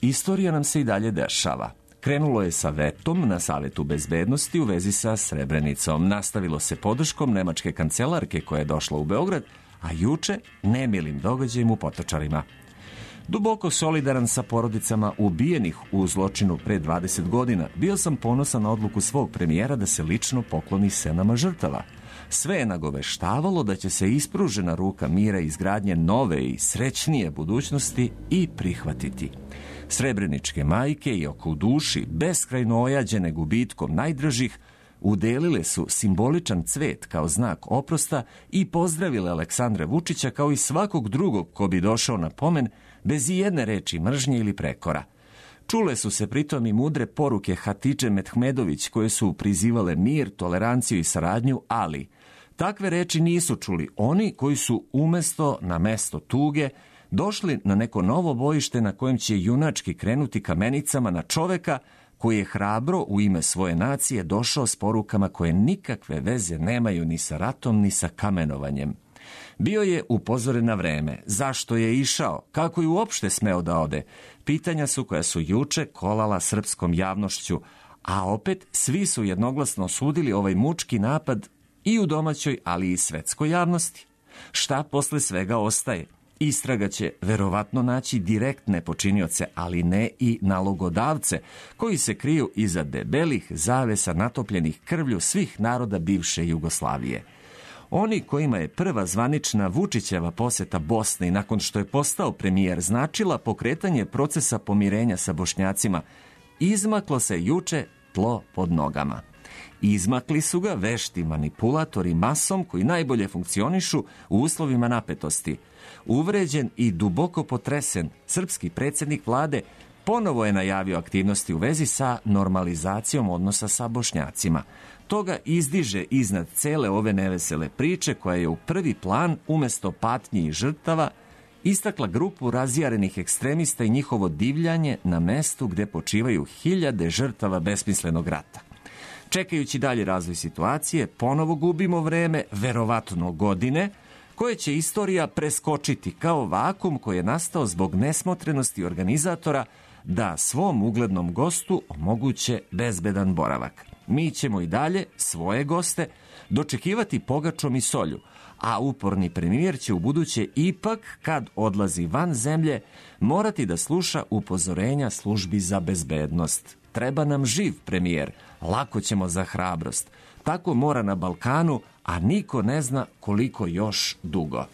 istorija nam se i dalje dešava. Krenulo je sa vetom na Savetu bezbednosti u vezi sa Srebrenicom. Nastavilo se podrškom nemačke kancelarke koja je došla u Beograd, a juče nemilim događajem u Potočarima. Duboko solidaran sa porodicama ubijenih u zločinu pre 20 godina, bio sam ponosan na odluku svog premijera da se lično pokloni senama žrtava. Sve je nagoveštavalo da će se ispružena ruka mira i izgradnje nove i srećnije budućnosti i prihvatiti. Srebreničke majke i oko u duši, beskrajno ojađene gubitkom najdražih, udelile su simboličan cvet kao znak oprosta i pozdravile Aleksandra Vučića kao i svakog drugog ko bi došao na pomen bez ijedne reči mržnje ili prekora. Čule su se pritom i mudre poruke Hatidže Mehmedović koje su prizivale mir, toleranciju i saradnju, ali takve reči nisu čuli oni koji su umesto na mesto tuge došli na neko novo bojište na kojem će junački krenuti kamenicama na čoveka koji je hrabro u ime svoje nacije došao s porukama koje nikakve veze nemaju ni sa ratom ni sa kamenovanjem. Bio je upozoren na vreme. Zašto je išao? Kako je uopšte smeo da ode? Pitanja su koja su juče kolala srpskom javnošću, a opet svi su jednoglasno osudili ovaj mučki napad i u domaćoj, ali i svetskoj javnosti. Šta posle svega ostaje? Istraga će verovatno naći direktne počinioce, ali ne i nalogodavce, koji se kriju iza debelih zavesa natopljenih krvlju svih naroda bivše Jugoslavije. Oni kojima je prva zvanična Vučićeva poseta Bosni nakon što je postao premijer značila pokretanje procesa pomirenja sa Bošnjacima, izmaklo se juče tlo pod nogama. Izmakli su ga vešti manipulatori masom koji najbolje funkcionišu u uslovima napetosti. Uvređen i duboko potresen, srpski predsjednik vlade ponovo je najavio aktivnosti u vezi sa normalizacijom odnosa sa Bošnjacima. Toga izdiže iznad cele ove nevesele priče koja je u prvi plan, umesto patnji i žrtava, istakla grupu razjarenih ekstremista i njihovo divljanje na mestu gde počivaju hiljade žrtava besmislenog rata. Čekajući dalje razvoj situacije, ponovo gubimo vreme, verovatno godine, koje će istorija preskočiti kao vakum koji je nastao zbog nesmotrenosti organizatora da svom uglednom gostu omoguće bezbedan boravak. Mi ćemo i dalje svoje goste dočekivati pogačom i solju, a uporni premijer će ubuduće ipak, kad odlazi van zemlje, morati da sluša upozorenja službi za bezbednost. Treba nam živ premijer, lako ćemo za hrabrost. Tako mora na Balkanu, a niko ne zna koliko još dugo.